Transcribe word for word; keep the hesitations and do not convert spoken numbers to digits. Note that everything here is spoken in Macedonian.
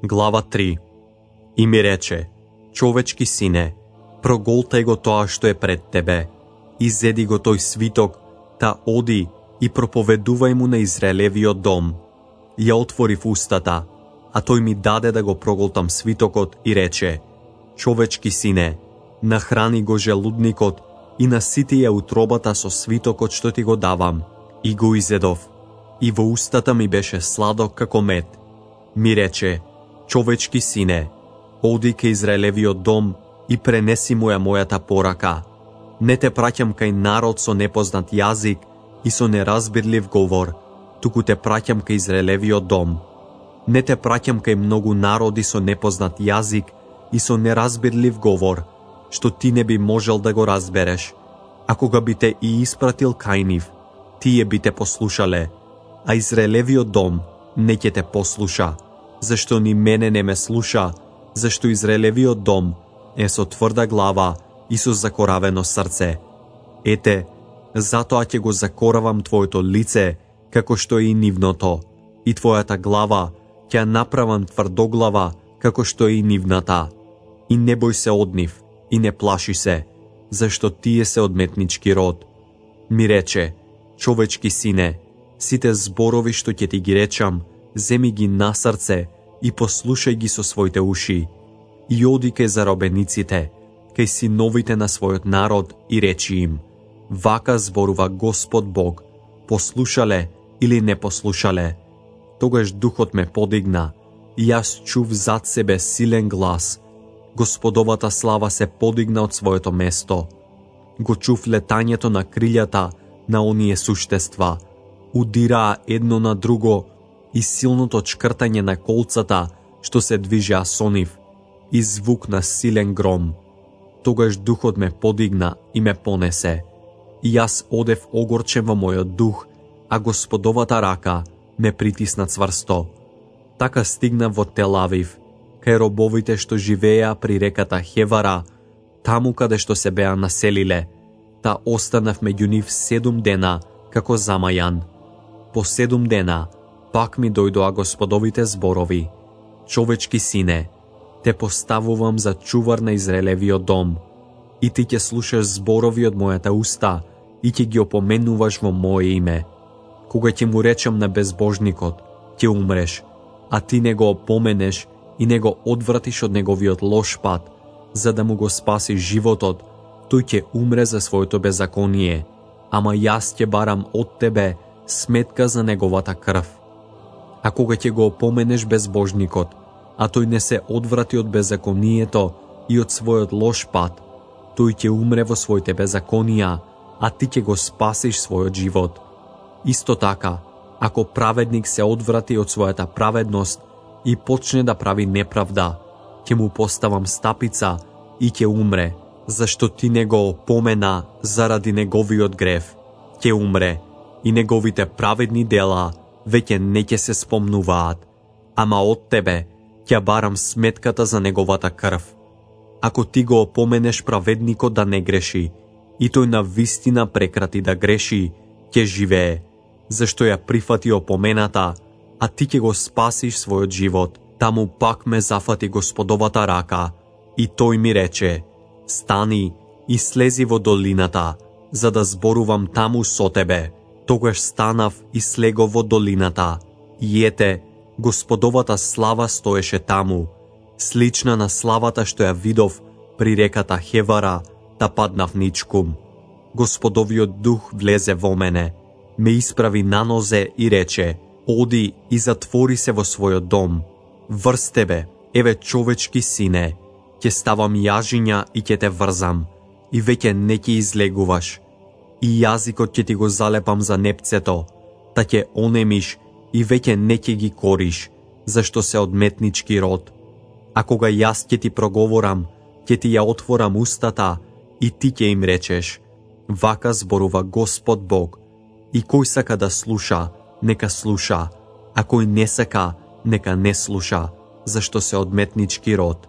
Глава три. И ми рече: човечки сине, проголтај го тоа што е пред тебе, изеди го тој свиток, та оди и проповедувај му на Израелевиот дом. Ја отворив устата, а тој ми даде да го проголтам свитокот и рече: човечки сине, нахрани го желудникот и насити ја утробата со свитокот што ти го давам. И го изедов, и во устата ми беше сладок како мед. Ми рече: човечки сине, оди кај Израелевиот дом и пренеси му ја мојата порака. Не те праќам кај народ со непознат јазик и со неразбирлив говор, туку те праќам кај Израелевиот дом. Не те праќам кај многу народи со непознат јазик и со неразбирлив говор, што ти не би можел да го разбереш. А кога би те и испратил кај нив, тие би те послушале, а Израелевиот дом не ќе те послуша, зашто ни мене не ме слуша, зашто Израелевиот дом е со тврда глава и со закоравено срце. Ете, затоа ќе го закоравам твоето лице, како што е и нивното, и твојата глава ќе направам тврдоглава, како што е и нивната. И не бој се од нив, и не плаши се, зашто тие се одметнички род. Ми рече: човечки сине, сите зборови што ќе ти ги речам, земи ги на срце и послушај ги со своите уши. И оди кај заробениците, кај синовите на својот народ и речи им: вака зборува Господ Бог, послушале или не послушале. Тогаш духот ме подигна, и јас чув зад себе силен глас. Господовата слава се подигна од своето место. Го чув летањето на крилјата на оние суштества. Удираа едно на друго и силното чкртање на колцата што се движеа со нив, и звук на силен гром. Тогаш духот ме подигна и ме понесе. И јас одев огорчен во мојот дух, а Господовата рака ме притисна цврсто. Така стигна во Тел-Авив, кај робовите што живееа при реката Хевара, таму каде што се беа населиле, та останав меѓу нив седум дена како замајан. По седум дена пак ми дојдоа Господовите зборови: човечки сине, те поставувам за чувар на Израелевиот дом, и ти ќе слушаш зборови од мојата уста и ќе ги опоменуваш во моје име. Кога ќе му речам на безбожникот: ќе умреш, а ти не го опоменеш и не го одвратиш од неговиот лош пат, за да му го спасиш животот, тој ќе умре за своето беззаконие, ама јас ќе барам од тебе сметка за неговата крв. А кога ќе го опоменеш безбожникот, а тој не се одврати од беззаконието и од својот лош пат, тој ќе умре во своите беззаконија, а ти ќе го спасиш својот живот. Исто така, ако праведник се одврати од својата праведност и почне да прави неправда, ќе му поставам стапица и ќе умре, зашто ти не го опомена заради неговиот грев. Ќе умре и неговите праведни дела веќе не ќе се спомнуваат, ама од тебе ќе барам сметката за неговата крв. Ако ти го опоменеш праведникот да не греши, и тој на вистина прекрати да греши, ќе живее, зашто ја прифати опомената, а ти ќе го спасиш својот живот. Таму пак ме зафати Господовата рака, и тој ми рече: стани и слези во долината, за да зборувам таму со тебе. Тогаш станав и слегов во долината, и ете, Господовата слава стоеше таму, слична на славата што ја видов при реката Хевара, та паднав ничкум. Господовиот дух влезе во мене, ме исправи на нозе и рече: оди и затвори се во својот дом. Врз тебе, еве човечки сине, ќе ставам јажиња и ќе те врзам, и веќе не ќе излегуваш. И јазикот ќе ти го залепам за непцето, та ќе онемиш и веќе не ќе ги кориш, зашто се одметнички род. А кога јас ќе ти проговорам, ќе ти ја отворам устата и ти ќе им речеш: вака зборува Господ Бог. И кој сака да слуша, нека слуша, а кој не сака, нека не слуша, зашто се одметнички род.